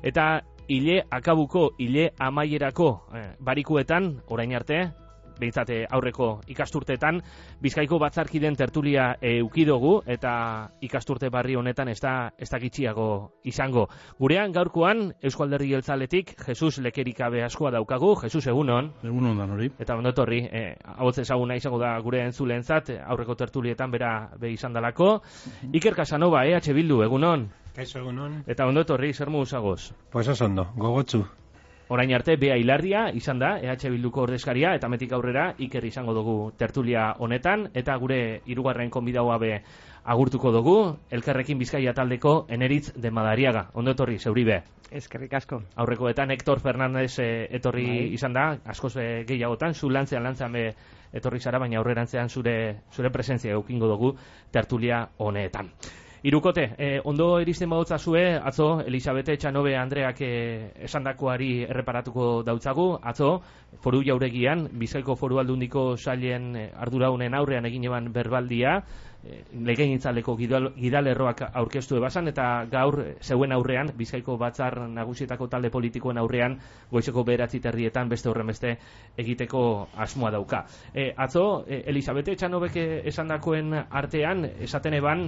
Eta hile akabuko, hile amaierako barikuetan, orain arte, behintzat aurreko ikasturteetan, Bizkaiko batzarkiden tertulia eukidogu, eta ikasturte barri honetan ez da gitxiago izango. Gurean gaurkoan, Eusko Alderdi Jeltzaletik, Jesus Lekerikabe askoa daukagu. Jesus, egunon. Egunon dan hori. Eta ondotorri, ahotz ezaguna izango da gure entzuleentzat, aurreko tertulietan bera izan dalako. Iker Casanova, EH Bildu, egunon. Kaixo, egunon. Eta ondotorri, zer modu zagoz? Pues oso ondo, gogotsu. Orain arte, Bea Hilarria izan da, EH Bilduko ordezkaria, eta metik aurrera Iker izango dugu tertulia honetan, eta gure hirugarren konbidaua be agurtuko dugu, Elkarrekin Bizkaia taldeko Eneritz de Madariaga. Ondo etorri, zeuri be. Eskerrik asko. Aurrekoetan Hector Fernández etorri izan da, askoz gehiagotan, zu lantzean be etorri zara, baina aurrerantzean zure presentzia eukingo dugu tertulia honetan. Hirukote, ondo iristen badutzazue, atzo Elisabete Etxanobe Andreak esandakoari erreparatuko dautzagu, atzo Foru Jauregian, Bizkaiko Foru Aldundiko sailen arduraunen aurrean egin eban berbaldia, legegintzaleko gidalerroak aurkeztu ebasan, eta gaur zeuen aurrean, Bizkaiko Batzar Nagusietako talde politikoen aurrean, goizeko 9:30 beste horrenbeste egiteko asmoa dauka. Atzo, Elisabete Etxanobek esandakoen artean, esaten eban,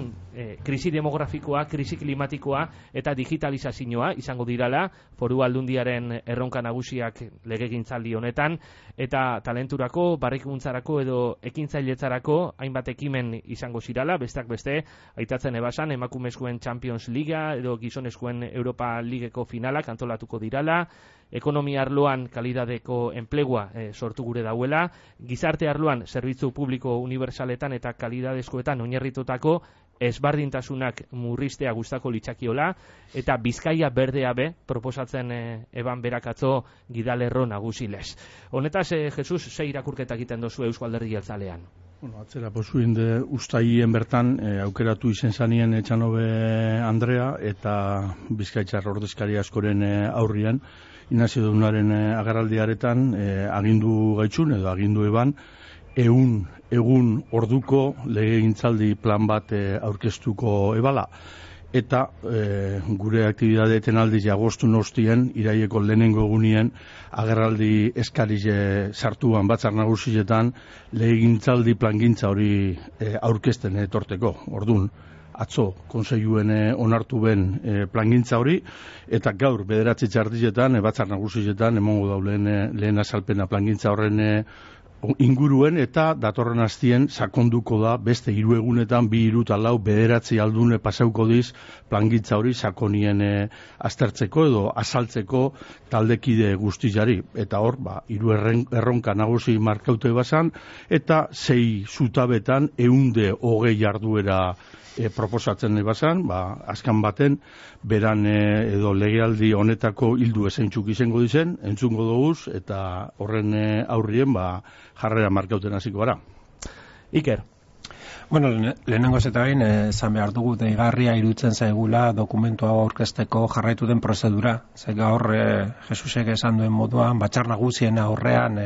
krisi demografikoa, krisi klimatikoa eta digitalizazioa izango dirala Foru Aldundiaren erronka nagusiak legegintzaldi honetan, eta talenturako, barrikuntzarako edo ekintzailetzarako hainbat ekimen izango zirala, besteak beste, aitatzen ebasan, emakumezkoen Champions Liga edo gizonezkoen Europa Ligeko finalak antolatuko dirala, ekonomia arloan kalidadeko enplegua sortu gure dauela, gizarte arloan zerbitzu publiko unibertsaletan eta kalidadezkoetan oinarritutako ezbardintasunak murriztea gustako litzakiola, eta Bizkaia berdea be proposatzen eban berakatzo gidalerro nagusilez. Honetaz, Jesus, ze irakurketa egiten dozu Eusko Alderdi Jeltzalean? Atzera posuin de ustaien bertan aukeratu izen zanien Etxanobe Andrea eta Bizkaitzar ordezkari askoren aurrian, Inazio Dunaren agerraldiaretan agindu gaitzun edo agindu eban, egun orduko legegintzaldi plan bat aurkeztuko ebala. Eta gure aktibidadeeten aldiz agostu nostien, iraieko lehenengo egunien agerraldi eskarize sartuan batzar nagusietan legegintzaldi plangintza hori aurkezten etorteko. Ordun, atzo konseiluen onartu ben plangintza hori, eta gaur 9 txardietan batzar nagusietan emongo daulen lehen azalpena plangintza horren inguruen, eta datorren astien sakonduko da beste 3 egunetan 2, 3 eta 4, 9 aldune pasauko diz plangintza hori sakonien aztertzeko edo azaltzeko taldekide guztiari, eta hor 3 erronka nagusi markaute bazan, eta 6 zutabetan 120 jarduera proposatzen ebazan, azkan baten, beran edo legealdi honetako hildu ezaintzuk izango dizen, entzungo doguz, eta horren aurrien jarrera markauten hasiko gara. Iker. Bueno, lehenengo eta bain, esan behar dugu deigarria iruditzen zaigula dokumentu hau aurkezteko jarraitu den prozedura. Ze gaur, Jesusek esan duen moduan, batzar nagusien aurrean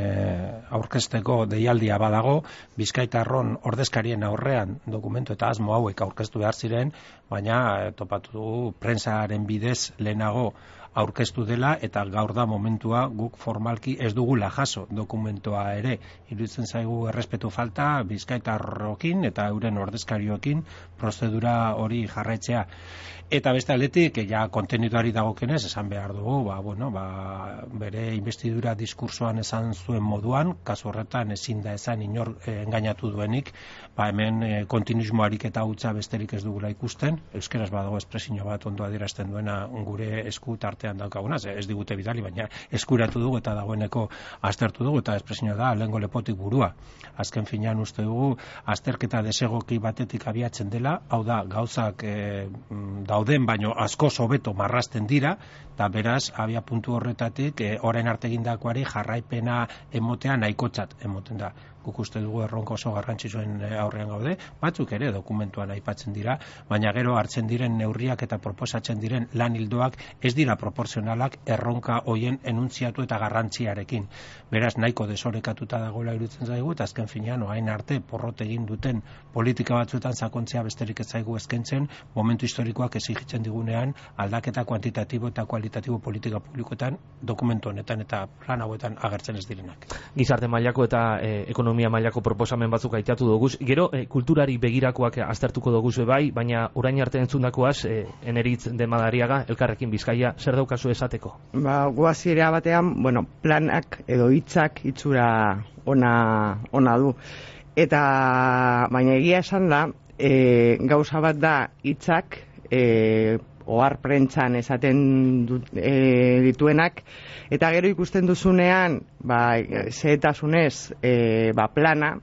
aurkezteko deialdia badago, Bizkaitarron ordezkarien aurrean dokumentu eta asmo hauek aurkeztu behar ziren, baina topatu dugu prentsaren bidez lehenago aurkeztu dela, eta gaur da momentua guk formalki ez dugula jaso dokumentua ere. Iruditzen zaigu errespetu falta Bizkaitarrokin eta euren ordezkariokin prozedura hori jarraitzea. Eta beste aldetik, ja konteniduari dagokenez, esan behar dugu, bere investidura diskursoan esan zuen moduan, kasu horretan ezin da esan inor engainatu duenik, hemen kontinuismoarik eta hutsa besterik ez dugula ikusten, euskeraz badago espresio bat ondo adierazten duena gure esku tartean daukaguna, ez digute bidali, baina eskuratu dugu eta dagoeneko aztertu dugu, eta espresio da lehengo lepotik burua. Azken finean uste dugu, azterketa desegoki batetik abiatzen dela, hau da, gauzak dauden, baino asko hobeto marrazten dira, eta beraz, abia puntu horretatik, orain arte egindakoari jarraipena emotea nahikotzat emoten da. guk uste dugu erronka oso garrantzitsuen aurrean gaude, batzuk ere dokumentuan aipatzen dira, baina gero hartzen diren neurriak eta proposatzen diren lan ildoak ez dira proporzionalak erronka hoien enuntziatu eta garrantziarekin. Beraz, nahiko desorekatuta dagoela iruditzen zaigu, eta azken finean, orain arte porrot egin duten politika batzuetan sakontzea besterik ez zaigu eskaintzen, momentu historikoak exigitzen digunean aldaketa kuantitatibo eta kualitatibo politika publikoetan dokumentu honetan eta plan hauetan agertzen ez direnak. Gizarte mailako eta ekonomia mailako proposamen batzuk aitatu doguz. Gero, kulturari begirakoak aztertuko doguz bai, baina orain arte entzundakoaz, Eneritz de Madariaga, Elkarrekin Bizkaia, zer daukazu esateko? Guaziera batean, planak edo hitzak itxura ona du. Eta, baina egia esan da, gauza bat da hitzak, ohar prentsan esaten dituenak, eta gero ikusten duzunean, zehetasunez plana,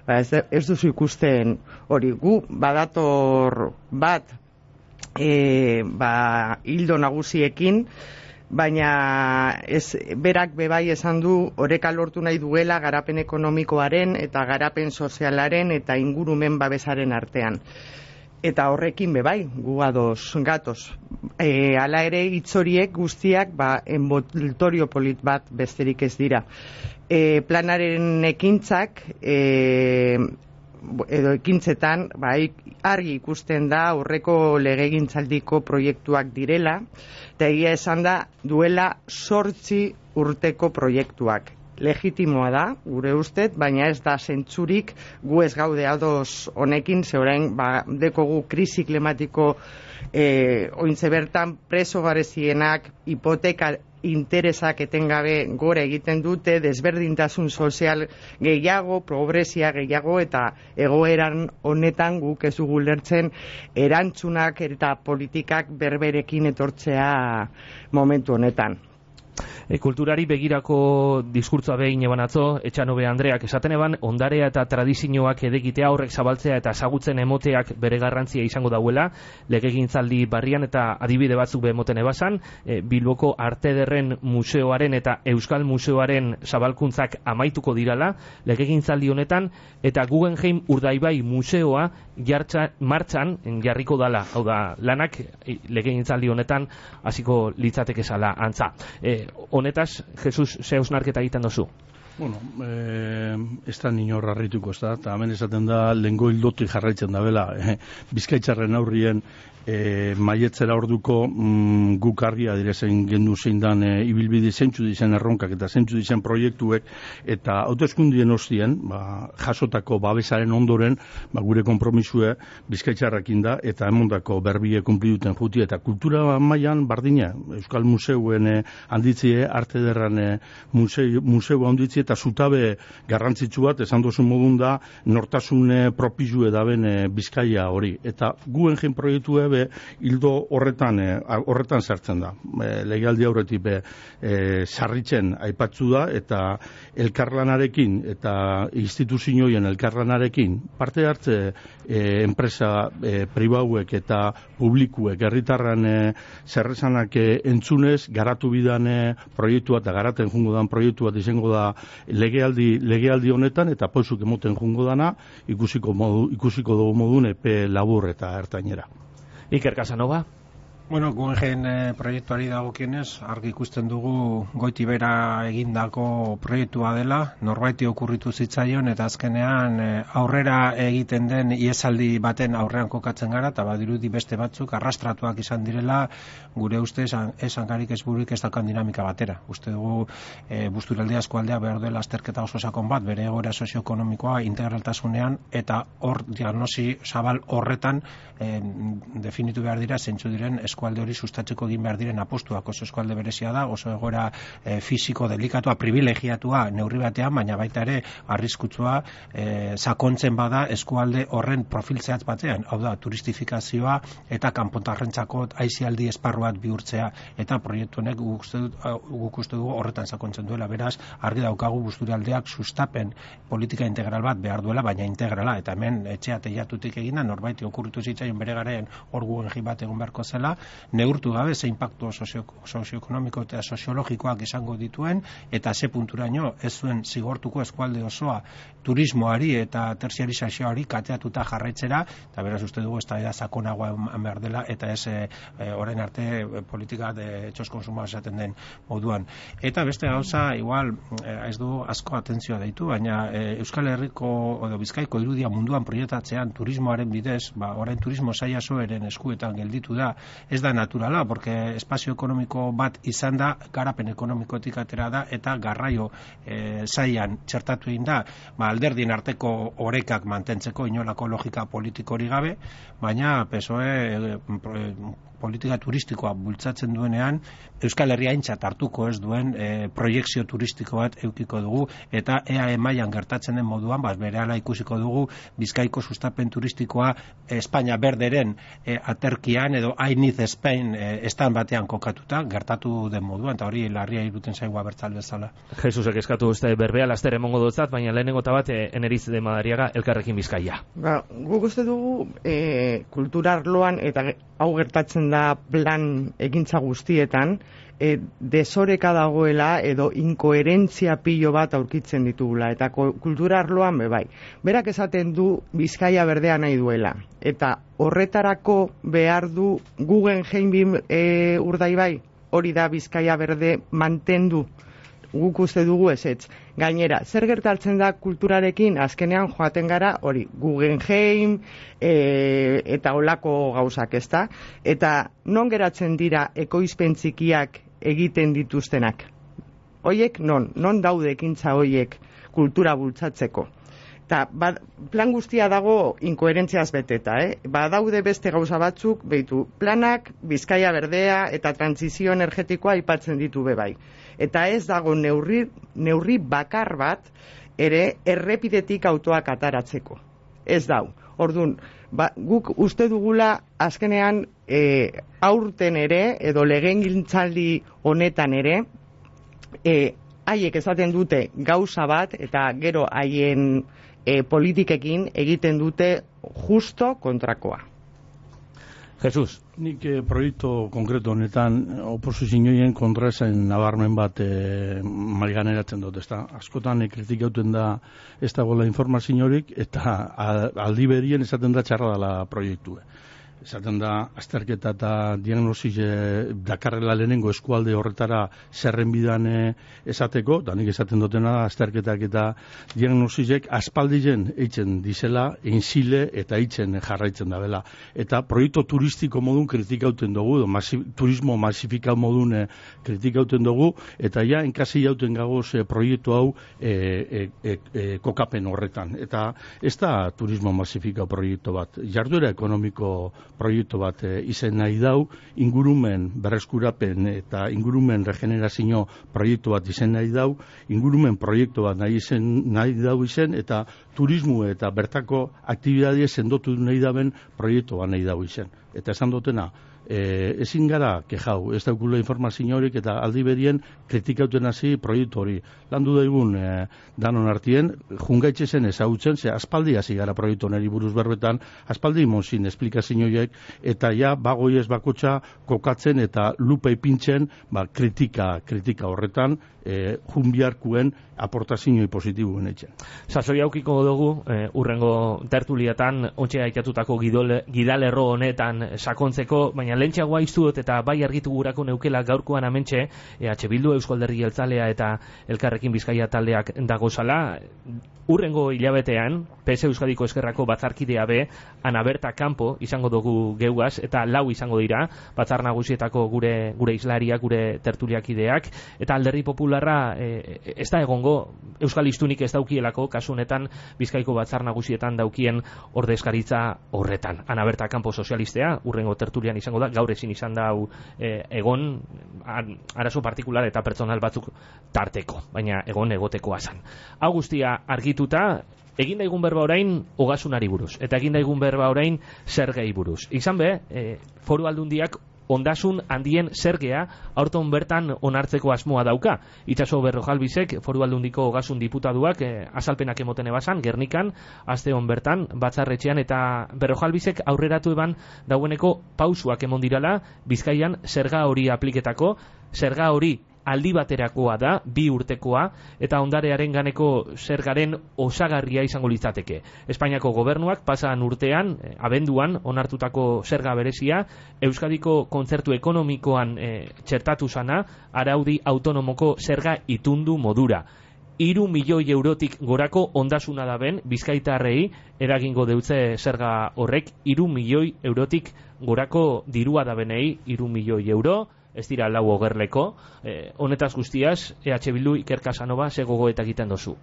ez duzu ikusten hori. Gu badator bat hildo nagusiekin, baina berak bebai esan du oreka lortu nahi duela garapen ekonomikoaren eta garapen sozialaren eta ingurumen babesaren artean. Eta horrekin bebai, gu ados gatoz. Hala ere hitzoriek guztiak envoltorio polit bat besterik ez dira. Planaren ekintzak edo ekintzetan argi ikusten da aurreko legegintzaldiko proiektuak direla, eta egia esan da duela 8 urteko proiektuak. Legitimoa da, gure ustez, baina ez da zentzurik gu ez gaude ados honekin, ze orain dekogu krisi klimatiko ointze bertan preso garezienak, hipoteka interesak etengabe gora egiten dute, desberdintasun sozial gehiago, pobrezia gehiago, eta egoeran honetan guk ez dugu lertzen erantzunak eta politikak berberekin etortzea momentu honetan. Kulturari begirako diskurtsoa behin eban atzo, Etxanobe Andreak esaten eban, ondarea eta tradizioak edegitea horrek zabaltzea eta ezagutzen emoteak bere garrantzia izango dauela, legegintzaldi barrian eta adibide batzuk bemoten ebasan, Bilboko Arte Ederren Museoaren eta Euskal Museoaren zabalkuntzak amaituko dirala, legegintzaldi honetan, eta Guggenheim Urdaibai Museoa martxan jarriko dala, hau da, lanak legegintzaldi honetan hasiko litzateke zala antza. Honetaz, Jesus, ze hausnarketa egiten dozu? Ez da nino harrituko, ez da, eta hemen esaten da lehengo hildotik jarraitzen da bela, Bizkaitzarren aurrien maietzera orduko guk argia direzen gendu zein dan ibilbide zeintzu dizen erronkak eta zeintzu dizen proiektuek, eta hauteskundien ostien jasotako babesaren ondoren gure konpromisue Bizkaitzarrekin da eta emondako berbie kunpliduten juti, eta kultura mailan bardina Euskal Museuen handitzie, Arte Ederran museu handitzie, eta zutabe garrantzitsu bat esan dozun modun da nortasun propizue daben Bizkaia hori, eta Guggenheim proiektue hildo horretan sartzen da. Legealdi aurretik sarritzen aipatzu da, eta elkarlanarekin eta instituzioen elkarlanarekin parte hartze enpresa pribauek eta publikuek herritarran zerrezanak entzunez garatu bidan proiektua eta garaten jungo dan proiektua izango da legealdi honetan, eta poizuk emoten jungo dana ikusiko dugu modun epe labur eta ertainera. Iker Casanova? Guggenheim proiektuari dagokienez, argi ikusten dugu goiti bera egindako proiektua dela, norbaiti okurritu zitzaion, eta azkenean aurrera egiten den iesaldi baten aurrean kokatzen gara, eta badirudi beste batzuk arrastratuak izan direla, gure uste esangarik ez buruik ez daukan dinamika batera. Uste dugu Busturialdea eskualdea behar dela azterketa oso sakon bat, bere egoera sozioekonomikoa integraltasunean, eta hor diagnosi zabal horretan definitu behar dira zeintzu diren eskualde hori sustatzeko egin behar diren apostuak. Oso eskualde berezia da, oso egoera fisiko delikatua, privilegiatua neurri batean, baina baita ere arriskutsua sakontzen bada eskualde horren profil zehatz batean, hau da, turistifikazioa eta kanpotarrentzako aisialdi esparru bat bihurtzea, eta proiektu honek guk uste dugu horretan sakontzen duela. Beraz, argi daukagu Busturialdeak sustapen politika integral bat behar duela, baina integrala, eta hemen etxea teiatutik egina, norbaiti okurritu zitzaion bere garen hor Guggenheim bat egon beharko zela, neurtu gabe ze inpaktu sozioekonomiko eta soziologikoak izango dituen, eta ze punturaino ez zuen zigortuko eskualde osoa turismoari eta terziarizazioari kateatuta jarraitzera, eta beraz uste dugu eztabaida sakonagoa eman behar dela, eta ez orain arte politika de txos konsumoa esaten den moduan. Eta beste gauza, igual, ez du asko atentzioa deitu, baina Euskal Herriko edo Bizkaiko irudia munduan proiektatzean turismoaren bidez, orain turismo saila soeren eskuetan gelditu da, ez da naturala, porque espazio ekonomiko bat izan da, garapen ekonomikotik atera da, eta garraio sailan txertatu egin da, alderdien arteko orekak mantentzeko inolako logika politikori gabe, baina PSOE politika turistikoa bultzatzen duenean, Euskal Herria aintzat hartuko ez duen proiekzio turistiko bat eukiko dugu, eta EAE mailan gertatzen den moduan, berehala ikusiko dugu Bizkaiko sustapen turistikoa Espainia berderen aterkian edo I Need Spain estan batean kokatuta, gertatu den moduan, eta hori larria iruten zaigua bertzal bezala. Jesusek eskatu uste berbea laster emongo dutzat, baina lehenengo eta bat Eneriz de Madariaga Elkarrekin Bizkaia. Guk uste dugu kultura arloan, eta hau gertatzen da plan egintza guztietan, desoreka dagoela edo inkoherentzia pilo bat aurkitzen ditugula, eta kultura arloan bai. Berak esaten du Bizkaia berdea nahi duela, eta horretarako behar du Guggenheim Urdaibai, hori da Bizkaia berde mantendu. Guk uste dugu ezetz. Gainera, zer gertatzen da kulturarekin, azkenean joaten gara, hori, Guggenheim eta olako gauzak, ezta? Eta non geratzen dira ekoizpen txikiak egiten dituztenak? Hoiek non daude ekintza hoiek kultura bultzatzeko? Eta plan guztia dago inkoherentziaz beteta, daude beste gauza batzuk, behitu, planak, Bizkaia berdea eta transizio energetikoa aipatzen ditu bai. Eta ez dago neurri bakar bat ere errepidetik autoak ataratzeko. Ez dau. Orduan, guk uste dugula azkenean aurten ere, edo legegintzaldi honetan ere, haiek esaten dute gauza bat, eta gero haien politikekin egiten dute justo kontrakoa. Jesus. Nik proiektu konkretu honetan oposizioen kontra esan nabarmen bat maiganeratzen dut, ezta? Askotan kritikauten da ez dagoela informaziorik, eta aldi berien esaten da txarra dela proiektua. Esaten da, azterketa eta diagnosis dakarrela lehenengo eskualde horretara zerrenbidan esateko, da nik esaten dutena da, azterketak eta diagnosisek aspaldien eitzen dizela, einzile eta eitzen jarraitzen da bela. Eta proiektu turistiko modun kritikauten dugu, turismo masifikau modun kritikauten dugu, eta ja, enkasi jauten gagoz proiektu hau kokapen horretan. Eta ez da turismo masifikau proiektu bat, jarduera ekonomiko proiektu bat izen nahi dau, ingurumen berreskurapen eta ingurumen regenerazio proiektu bat izen nahi dau, ingurumen proiektu bat nahi dau izen, eta turismo eta bertako aktibidadie sendotu nahi daben proiektu bat nahi dau izen. Eta esan dutena, ezin gara kejau, ez daukula informazio horik, eta aldi berien kritikauten hasi proiektu hori. Landu daigun danon artien, jungaitxe zen ezautzen, ze aspaldi hasi gara proiektu honeri buruz berbetan, aspaldi monzin esplikazioiek, eta ja bagoi ez bakotxa kokatzen eta lupa ipintzen kritika horretan, junbiarkuen aportazioi positiboen etxen. Sasoi aukiko dugu, urrengo tertuliatan, ontxe aitatutako gidalerro honetan sakontzeko, baina lentxagoa iztu dut eta bai argitu gurako neukela gaurkoan amentxe, EH Bildu, Eusko Alderdi Jeltzalea eta Elkarrekin Bizkaia taldeak dagozala, urrengo hilabetean, PS Euskadiko Eskerrako batzarkidea be, ana berta kanpo izango dugu geugaz, eta lau izango dira, batzar nagusietako gure islariak, gure tertuliakideak, eta Alderdi Popularra ez da egongo, Euskal Hiztunik ez daukielako, kasu honetan Bizkaiko batzar nagusietan daukien ordezkaritza horretan. Ana berta kanpo sozialistea, urrengo tertulian izango da, gaur ezin izan da egon, arazo partikular eta pertsonal batzuk tarteko, baina egon egotekoa zan. Hau guztia argituta, egin daigun berba orain ogasunari buruz, eta egin daigun berba orain zergei buruz. Izan be, foru aldundiak ondasun handien zergea aurton bertan onartzeko asmoa dauka. Itxaso Berrojalbizek, Foru Aldundiko ogasun diputaduak azalpenak emoten ebasan, Gernikan, aste hon bertan, batzarretxean, eta Berrojalbizek aurreratu eban daueneko pausuak emon dirala Bizkaian zerga hori apliketako, zerga hori aldi baterakoa da, 2 urtekoa, eta ondarearen ganeko zergaren osagarria izango litzateke. Espainiako gobernuak pasan urtean, abenduan, onartutako zerga berezia, Euskadiko kontzertu ekonomikoan txertatu zana, araudi autonomoko zerga itundu modura. 3 milioi eurotik gorako ondasuna da ben, Bizkaitarrei eragingo deutze zerga horrek, 3 milioi eurotik gorako dirua da benei, 3 milioi euro, ez dira lau ogerleko. Honetaz guztiaz, EH Bildu Iker Casanova ze gogoeta egiten dozu?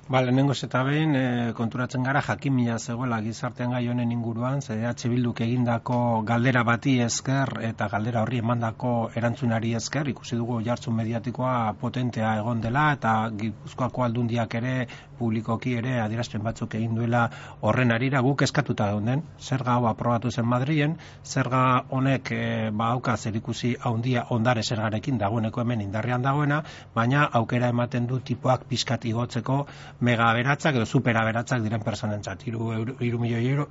Lehenengoz eta behin konturatzen gara jakimina zegoela gizartean gai honen inguruan, EH Bilduk egindako galdera bati esker eta galdera horri emandako erantzunari esker, ikusi dugu jartzun mediatikoa potentea egon dela, eta Gipuzkoako Aldundiak ere publikoki ere adierazpen batzuk egin duela horren arira. Guk eskatuta geunden, zerga hau aprobatu zen Madrilen, zerga honek auka zerikusi handia ondare zergarekin dagoeneko hemen indarrean dagoena, baina aukera ematen du tipoak pixkat igotzeko mega aberatzak edo super aberatzak diren personentzat. 3 milioi euro,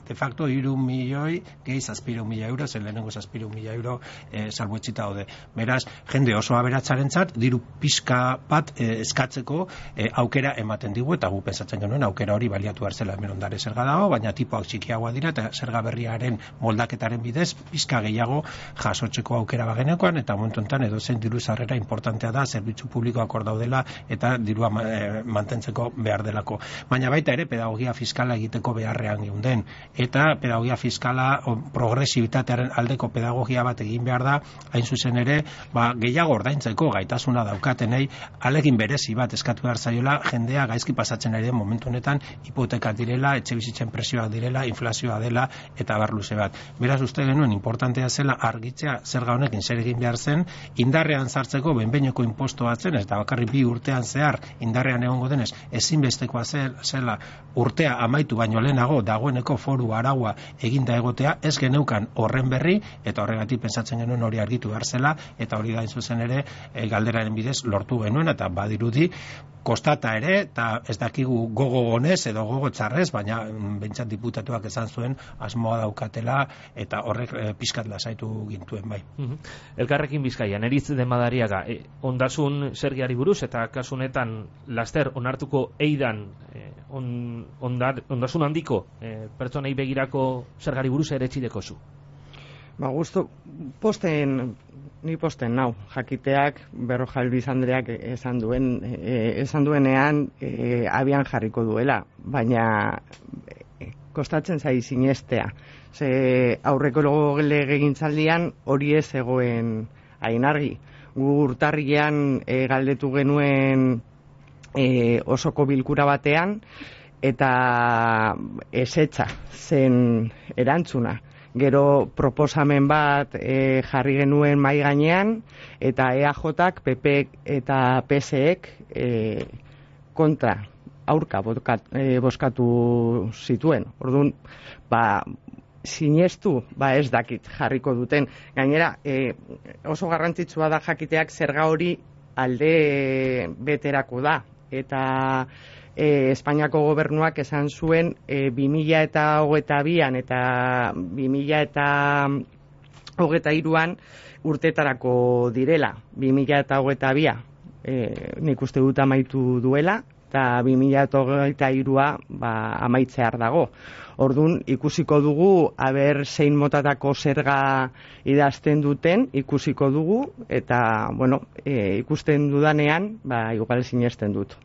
de facto 3 milioi gehi 700.000 euro, zen lehenengo 700.000 euro salbuetsita daude. Beraz, jende oso aberatzarentzat diru pixka bat eskatzeko aukera ematen digu, eta gu pensatzen genuen aukera hori baliatu behar zela. Hemen ondare zerga dago, baina tipoak txikiagoa dira, eta zerga berriaren moldaketaren bidez pixka gehiago jasotzeko aukera bagenekoan, eta momentu enten edozein diru sarrera importantea da, zerbitzu publikoak hor daudela, eta dirua mantentzeko behar delako. Baina baita ere pedagogia fiskala egiteko beharrean geunden, eta pedagogia fiskala progresibitatearen aldeko pedagogia bat egin behar da, hain zuzen ere gehiago ordaintzeko gaitasuna daukatenei alegin berezi bat eskatu behar zaiola, jendea gaizki pasatzen ari den momentu honetan hipotekak direla, etxe bizitzen presioak direla, inflazioa dela eta abar luze bat. Beraz uste genuen importantea zela argitzea zerga honekin zer egin behar zen, indarrean sartzeko behin-behineko inposto batzen, ez da bakarrik 2 urtean zehar indarrean egongo denez, ezinbestekoa zela urtea amaitu baino lehenago dagoeneko foru araua eginda egotea, ez geneukan horren berri, eta horregatik pentsatzen genuen hori argitu behar zela, eta hori da zuzen ere galderaren bidez lortu genuen, eta badirudi kostata ere, eta ez dakigu gogo honez edo gogo txarrez, baina bentsat diputatuak esan zuen asmoa daukatela, eta horrek pixkat lasaitu gintuen bai. Elkarrekin Bizkaian, Eritz de Madariaga, ondasun zergiari buruz, eta kasunetan laster onartuko eidan ondasun handiko pertsonei begirako zergari buruz ere txideko zu? Gusto, ni posten nau, jakiteak Berrojalbiz Andreak esan duenean abian jarriko duela, baina kostatzen zai sinestea. Ze aurreko legegintzaldian hori ez zegoen hain argi. Gu urtarrilean galdetu genuen osoko bilkura batean, eta ezetza zen erantzuna. Gero proposamen bat jarri genuen mai gainean, eta EAJak, PP eta PSek kontra, aurka bozkatu zituen. Orduan, sinestu, ez dakit jarriko duten. Gainera, oso garrantzitsua da jakiteak zerga hori alde beterako da. Eta Espainiako gobernuak esan zuen 2022an eta 2023an urtetarako direla. 2022a nik uste dut amaitu duela, eta 2023a amaitzear dago. Orduan, ikusiko dugu, aber zein motatako zerga idazten duten, ikusiko dugu, eta, ikusten dudanean, igual sinesten dut.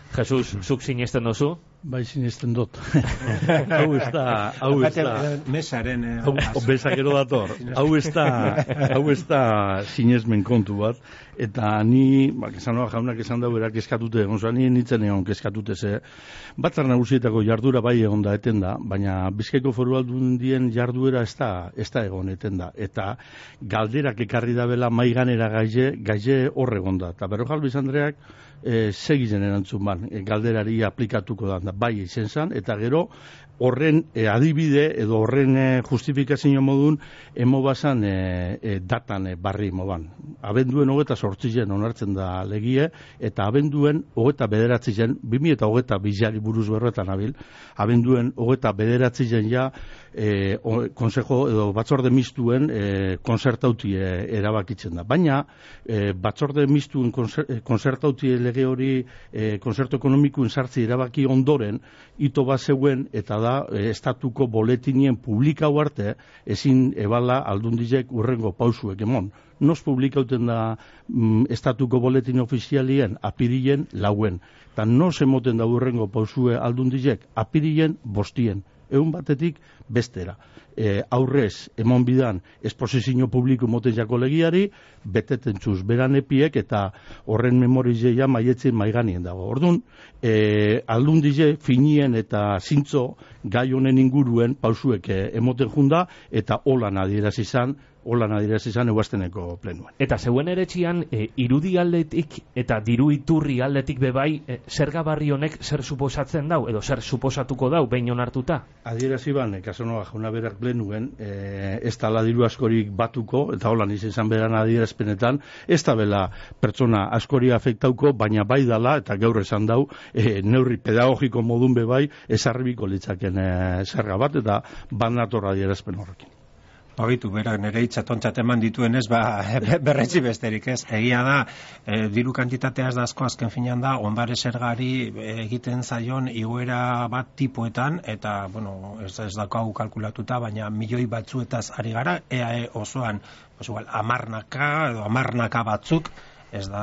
Jesus, zuk sinesten dozu? Bai, sinesten dut. Hau ez da... Mesaren... Bezakero dator. Hau ez da sinesmen kontu bat. Eta ni, Casanova jaunak esan dau berak eskatute, ni nintzen egon eskatute ze. Batzar nagusietako jardura bai egon da eten da, baina Bizkaiko Foru Aldundien jarduera ez da egon eten da. Eta galderak ekarri dabela maiganera gaize horregon da. Eta Berrojalbiz Andreak segizen erantzun ban, galderari aplikatuko da, bai izen zan, eta gero horren adibide edo horren justifikazio modun emo basan datan barri moban. Abenduen 28 onartzen da legie, eta abenduen 29 2022 buruz berretan abil, abenduen 29 ja konsejo edo batzorde mistuen konzertauti erabakitzen da. Baina batzorde mistuen konzertauti lege hori konzertu ekonomikoen sartzi erabaki ondoren ito bat zeuen eta da estatuko boletinien publikau arte ezin ebala aldundizek urrengo pausuek emon. Nos publikauten da estatuko boletin ofizialien apirilen 4. Eta nos emoten da urrengo pausue aldundizek apirilen 5. Egun batetik bestera. Aurrez, emon bidan, esposizio publiko moten jako legiari, beteten txuz beran epiek eta horren memorizeia maietzen maiganien dago. Orduan, aldundize finien eta zintzo gai honen inguruen pausuek emoten junda eta holan adierazi izan eguazteneko plenuan. Eta zeuen eretxian, irudi aldetik eta diru iturri aldetik bebai, zerga barri honek zer suposatzen dau, edo zer suposatuko dau, behin onartuta? Adierazi ban, Casanova jauna berak plenuen, ez da diru askorik batuko, eta holan izan beran adierazpenetan, ez da bela pertsona askori afektauko, baina bai dala, eta gaur esan dau, neurri pedagogiko modun bebai, ezarribiko litzaken zerga bat, eta banator adierazpen horrekin. Bagitu, berak nire itxatontzat eman dituenez, berretzi besterik ez. Egia da, diru kantitateaz da asko azken finean da, onbare zergari egiten zaion igoera bat tipoetan, eta, bueno, ez daukagu kalkulatuta, baina milioi batzuetaz ari gara, EAE osoan, amarnaka batzuk, ez da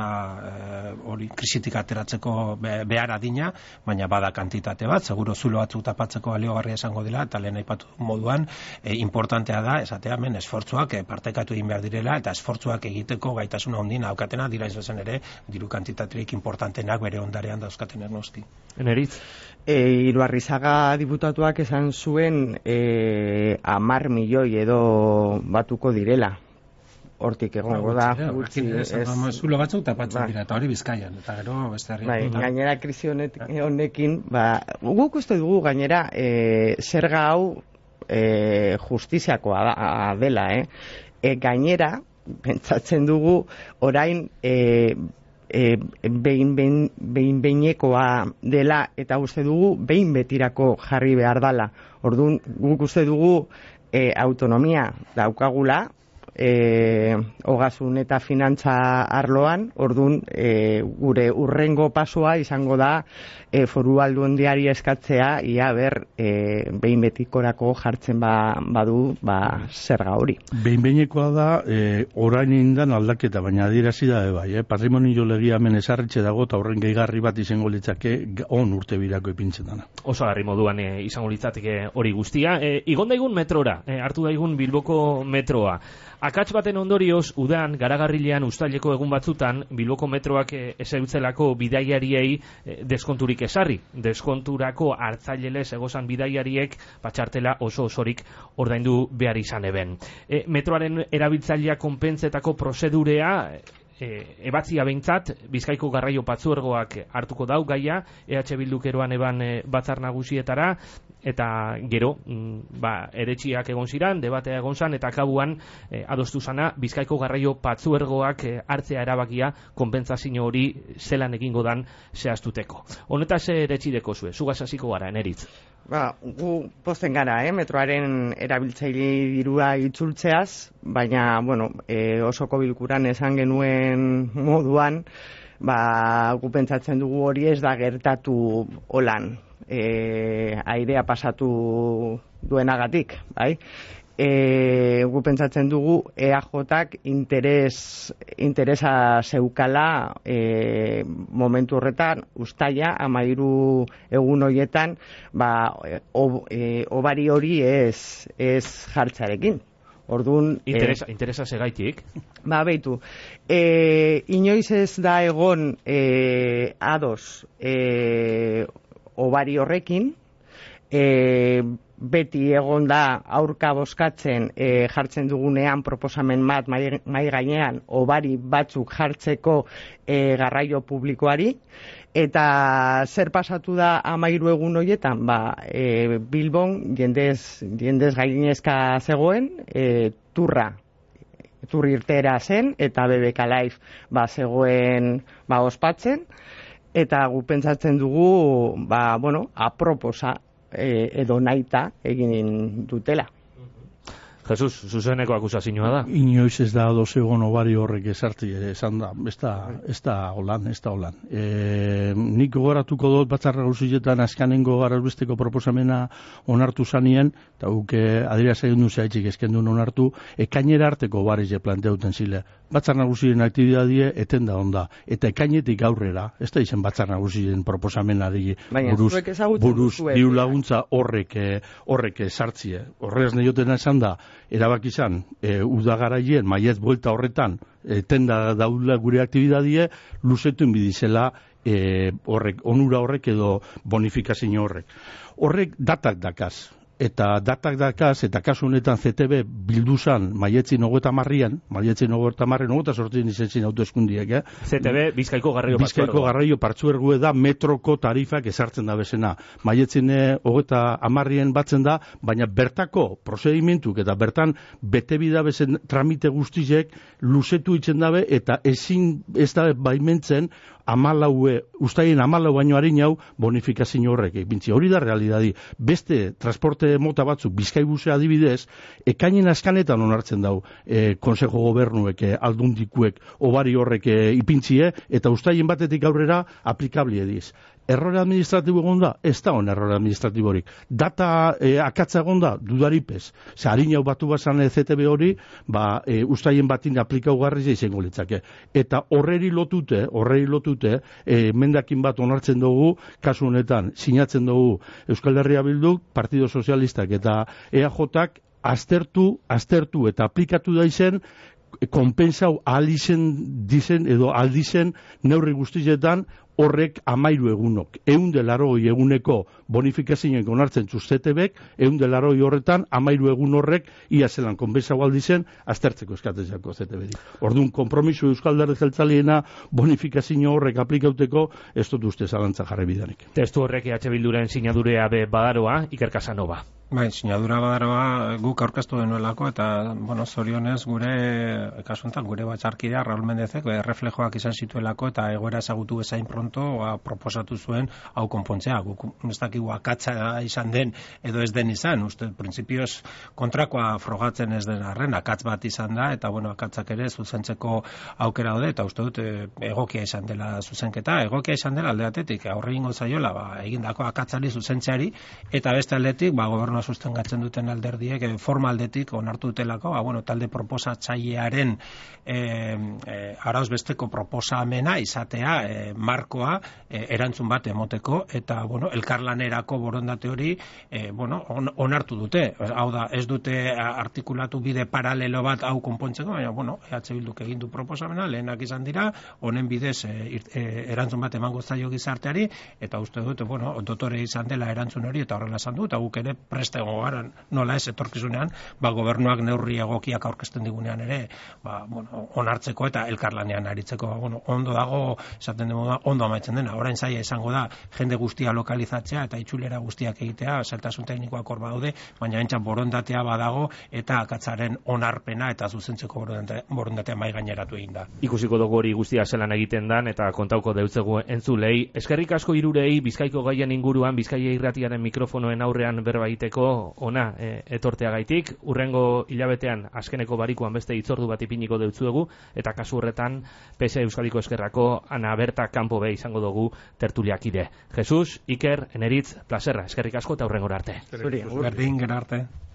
hori krisitik ateratzeko behar adina, baina bada kantitate bat, seguro zulo batzuk tapatzeko baliogarria esango dela, eta lehen aipatu moduan, importantea da, esatea hemen esfortzuak partekatu egin behar direla, eta esfortzuak egiteko gaitasuna ondina daukatena, dira izan ere, diru kantitaterik importantenak bere ondarean dauzkaten ernoski. Eneritz? Iruarrizaga diputatuak esan zuen 10 milioi edo batuko direla. Hortik egongo da gutxi zulo batzuk tapatzen dira, eta hori Bizkaian, eta gero beste herrian. Gainera krisi honekin, guk uste dugu gainera zerga hau justiziakoa dela, gainera pentsatzen dugu orain behin-behinekoa dela, eta uste dugu behin betirako jarri behar dela. Orduan guk uste dugu autonomia daukagula, ogasun eta finantza arloan, orduan gure urrengo pasua izango da foru aldundiari eskatzea ia behin betikorako jartzen badu zerga hori. Behin-behinekoa da orain indan aldaketa, baina adierazi da bai, patrimonio legia hemen ezarritxe dago eta horren gehigarri bat izango litzake on urte birako ipintzen dana. Oso garri moduan izango litzateke hori guztia. Igon daigun metrora, hartu daigun Bilboko metroa. Akats baten ondorioz, udan, garagarrilean, uztaileko egun batzutan, Bilboko metroak ezautzelako bidaiariei deskonturik esarri. Deskonturako hartzailelez egozan bidaiariek patxartela osorik ordaindu behar izan eben. Metroaren erabiltzailea konpentzetako prozedurea ebatzia behintzat, Bizkaiko Garraio Patzuergoak hartuko dau gaia, EH Bildukeroan eban batzar nagusietara, eta gero, eretxiak egon ziran, debatea egon zan, eta kabuan adostu zana Bizkaiko Garraio Patzuergoak hartzea erabakia konpentsazio hori zelan egingo dan zehaztuteko. Honetaz eretxideko zue, zugaz hasiko gara, Eneritz. Gu pozten gara, pentroaren erabiltzaile dirua itzultzeaz, baina, osoko bilkuran esan genuen moduan, gu pentsatzen dugu hori ez da gertatu holan, airea pasatu duenagatik, bai? Gu pentsatzen dugu EAJak interesa zeukala momentu horretan, uztaila, 13 egun horietan, obari hori ez jartzarekin. Orduan, interesa segaitik? Beitu, inoiz ez da egon ados obari horrekin, beti egon da aurka bozkatzen jartzen dugunean proposamen bat mai gainean obari batzuk jartzeko garraio publikoari, eta zer pasatu da 13 egun horietan, Bilbon jendez gainezka zegoen, turri irtera zen, eta BBK Live zegoen ospatzen, eta gu pentsatzen dugu aproposa edo naita egin dutela. Jesus, zuzeneko akusazioa da. Inoiz ez da ados egon obari horrek esartzi esan da, ez da holan. Nik gogoratuko dut Batzar Nagusietan azkenengo garazbesteko proposamena onartu zanien, eta guk adierazi egin duzaitzik eskendun onartu, ekainera arteko obarize planteauten zile. Batzar Nagusien aktibidadie eten da onda, eta ekainetik aurrera, ez da izen Batzar Nagusien proposamenari buruz diru laguntza horrek sartzie. Horrez nioten esan da, erabaki izan, udagaraien maiet buelta horretan, tenda daula gure aktibidadie, luzetuen bidizela onura horrek edo bonifikazio horrek. Horrek datak dakaz. Eta kasu honetan ZTB bilduzan maietzin 30an, 28 izen autoeskundiek, ZTB Bizkaiko Garraio Partzuergoa da metroko tarifak ezartzen da bezena. Maietzin 30an batzen da, baina bertako prozedimentuk eta bertan bete bida bezen tramite guztizek luzetu itzen dabe eta ez da baimentzen ustaien 14 baino harinau bonifikazio horrek. Hori da realidadi. Beste transporte mota batzuk, Bizkaibusea adibidez, ekainen askanetan onartzen dau Konsejo Gobernuek, aldundikuek, obari horrek ipintzie, eta ustaien batetik aurrera aplikabli ediz. Errore administratibo egon da? Ez da on errore administratiborik. Data akatza egon da? Dudaripez. Harinau batu bazan ZTB hori, ustaien batin aplikau garriz izango litzake. Eta horreri lotute, mendakin bat onartzen dugu, kasu honetan, sinatzen dugu Euskal Herria Bilduk, Partido Sozialistak eta EAJak aztertu eta aplikatu da izen, konpensau aldizen neurri guztietan horrek 13 egunok. 180 eguneko bonifikazioen onartzen ZTBek, 180 horretan 13 egun horrek ia zelan konpensau aldizen aztertzeko eskatzeko ZTBrik. Orduan, konpromiso Euskal Alderdi Jeltzaleena bonifikazio horrek aplikauteko ez dut uste zalantza jarri bidanik. Testu horrek EH Bilduren sinadurea badaroa, Iker Casanova. Sinadura badaroa guk aurkeztu denuelako, eta, zorionez gure, kasuntan, gure batzarkidea, Raul Mendezek, reflejoak izan zituelako, eta egoera ezagutu bezain pronto, proposatu zuen hau konpontzea. Guk ez dakigu akatza izan den, edo ez den izan, uste, printzipioz kontrakoa frogatzen ez den arren, akatz bat izan da, eta, akatzak ere zuzentzeko aukera daude, eta uste dut egokia izan dela zuzenketa, egokia izan dela aldeatetik, aurre ingo zaiola, egindako akatzari zuzentzeari, eta beste aldetik, gobernu sustengatzen duten alderdiek forma aldetik onartu dutelako, talde proposatzailearen arauz besteko proposamena izatea markoa erantzun bat emoteko, eta elkarlanerako borondate hori onartu dute. Hau da, ez dute artikulatu bide paralelo bat hau konpontzeko, baina EH Bilduk egin du proposamena, lehenak izan dira, honen bidez erantzun bat emango zaio gizarteari, eta uste dut, dotore izan dela erantzun hori, eta horrela esan du, eta guk ere preste gogaran, nola ez etorkizunean, gobernuak neurri egokiak aurkezten digunean ere, onartzeko eta elkarlanean aritzeko, ondo dago, esaten demo da, ondo amaitzen dena. Orain zaila izango da, jende guztia lokalizatzea eta itxulera guztiak egitea, zeltasun teknikoak hor badaude, baina entxan borondatea badago eta akatzaren onarpena eta zuzentzeko borondatea mai gaineratu egin da. Ikusiko dugu hori guztia zelan egiten dan eta kontauko deutzegu entzulei. Eskerrik asko hirurei Bizkaiko gaien inguruan, Bizkaia Irratiaren mikrofonoen aurrean berba egiteko ona etorteagaitik. Urrengo hilabetean azkeneko barikuan beste hitzordu bat ipiniko deutzuegu, eta kasu horretan PS Euskadiko Eskerrako Ana Berta kanpo be izango dugu tertuliakide. Jesus, Iker, Eneritz, plazerra, eskerrik asko eta urrengora arte. Berdin, gero arte.